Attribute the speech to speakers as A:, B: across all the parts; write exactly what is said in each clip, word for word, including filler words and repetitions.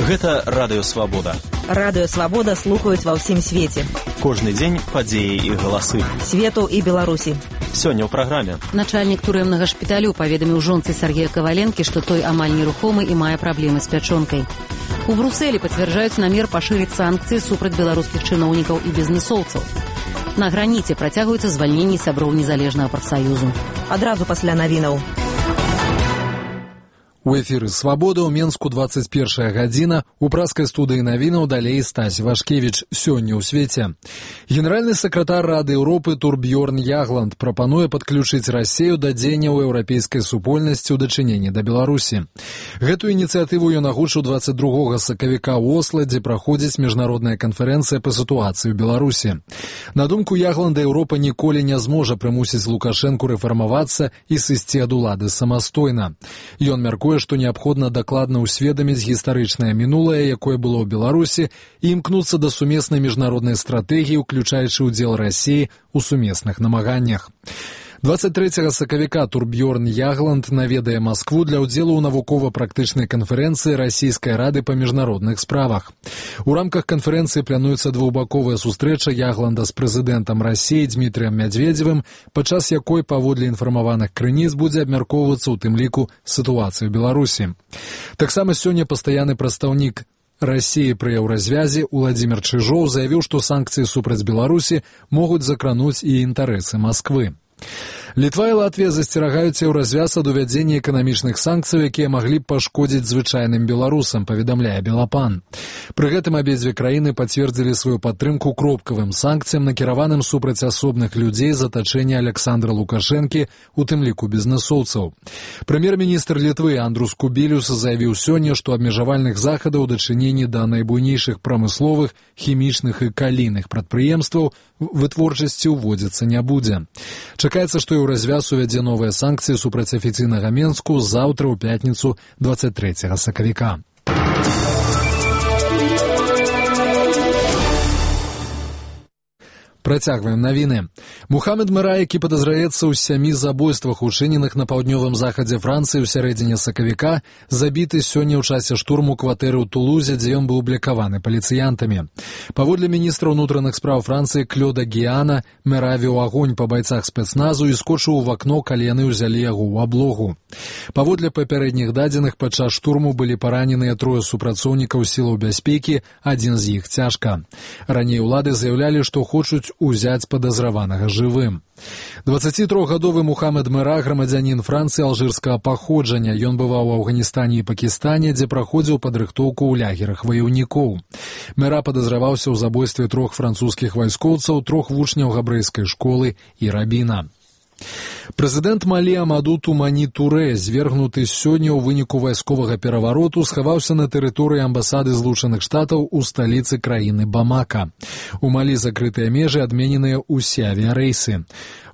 A: Гэта Радыё Свабода.
B: Радыё Свабода слухаюць ва ўсім свеце.
A: Кожны дзень падзеі і галасы.
B: Свету і Беларусі.
A: Сёння ў праграме.
C: Начальнік турэмнага шпіталю паведаміў жонцы Сергея Каваленкі, што той амаль нерухомы і мае праблемы з пячонкай. У Брусэлі пацвярджаюць намер пашырыць санкцыі супраць беларускіх чыноўнікаў і бізнесоўцаў. На граніце працягваюцца звальненні сяброў незалежнага прафсаюзу.
B: Адразу пасля навінаў.
D: У эфіры «Свабода» ў Менску двадцать первая гадзіна. У праскай студыі навінаў далей Стась Вашкевіч. Сёння ў свеце. Генеральны сакратар Рады Еўропы Турбьёрн Ягланд прапануе падключыць Расею да дзеянняў еўрапейскай супольнасці ў дачыненні да Беларусі. Гэтую ініцыятыву ён агучыў двадцать другога сакавіка ў Осла, дзе праходзіць міжнародная канферэнцыя па сітуацыі ў Беларусі. На думку Ягланда, Еўропа ніколі не зможа прымусіць Лукашэнку рэфармавацца і сысці ад улады самастойна. Ён мяркуе, што неабходна дакладна ўсведаміць гістарычнае мінулае, якое было ў Беларусі, і імкнуцца да сумеснай міжнароднай стратэгіі, уключаючы ўдзел Расіі ў сумесных намаганнях. двадцать трэцяга сакавіка Турбьёрн Ягланд наведае Маскву для ўдзелу ў навукова-практычнай канферэнцыі Расійскай рады па міжнародных справах. У рамках канферэнцыі плануецца двухбаковая сустрэча Ягланда з прэзідэнтам Расіі Дмітрыем Мядзведзевым, падчас якой, паводле інфармаваных крыніц, будзе абмяркоўвацца ў тым ліку сітуацыю ў Беларусі. Таксама сёння пастаянны прадстаўнік Расіі пры еўразвязе Уладзімір Чыжоў заявіў, што санкцыі супраць Беларусі могуць закрануць і інтарэсы Масквы. Літва і Латвія засцерагаюць еўразвяз ад увядзення эканамічных санкцый, якія маглі б пашкодзіць звычайным беларусам, паведамляе Белапан. Пры гэтым абедзве краіны пацвердзілі сваю падтрымку кропкавым санкцыям, накіраваным супраць асобных людзей з атачэння Александра Лукашэнкі, у тым ліку бізнесоўцаў. Прэм'ер-міністр Літвы Андрус Кубілюс заявіў сёння, што абмежавальных захадаў у дачыненні да найбуйнейшых прамысловых, хімічных і калійных прадпрыемстваў вытворчасці ўводзіцца не будзе. Чакаецца, што еўразвяз увядзе новыя санкцыі супраць афіцыйнага Менску заўтра ў пятніцу двадцать трэцяга сакавіка. Працягваем навіны. Мухаммед Мера, які падазраецца ў сямі забойствах, учыненых на паўднёвым захадзе Францыі ў сярэдзіне сакавіка, забіты сёння ў часе штурму кватэры ў Тулузе, дзе ён быў блякаваны паліцыянтамі. Паводле міністра ўнутраных спраў Францыі Клёда Гіана, Мера вёў агонь па байцах спецназу і скочыў у вакно, калі яны ўзялі яго ў аблогу. Паводле папярэдніх дадзеных, падчас штурму былі параненыя трое супрацоўнікаў сілаў бяспекі, адзін з іх цяжка. Раней улады заявлялі, што хочуць узяць падазраванага жывым. дваццацітрохгадовы Мухаммед Мера, грамадзянін Францыі алжырскага паходжання. Ён бываў у Афганістане і Пакістане, дзе праходзіў падрыхтоўку ў лягерах ваяўнікоў. Мера падазраваўся ў забойстве трох французскіх вайскоўцаў, трох вучняў габрэйскай школы і рабіна. Прэзідэнт Малі Амаду Тумані Турэ, звергнуты сёння ў выніку вайсковага перавароту, схаваўся на тэрыторыі амбасады Злучаных Штатаў у сталіцы краіны Бамака. У Малі закрытыя межы, адмененыя ўсе авіярэйсы.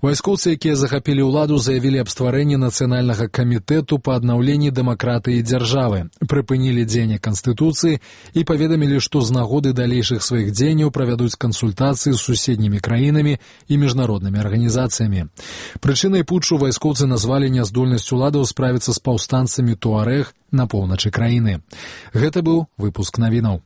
D: Вайскоўцы, якія захапілі ўладу, заявілі аб стварэнні нацыянальнага камітэту па аднаўленні дэмакратыі дзяржавы, прыпынілі дзеянне Канстытуцыі і паведамілі, што з нагоды далейшых сваіх дзеянняў правядуць кансультацыі з суседнімі краінамі і міжнароднымі арганізацыямі. Прычынай путчу вайскоўцы назвалі няздольнасць уладаў справіцца з паўстанцамі Туарэг на поўначы краіны. Гэта быў выпуск навінаў.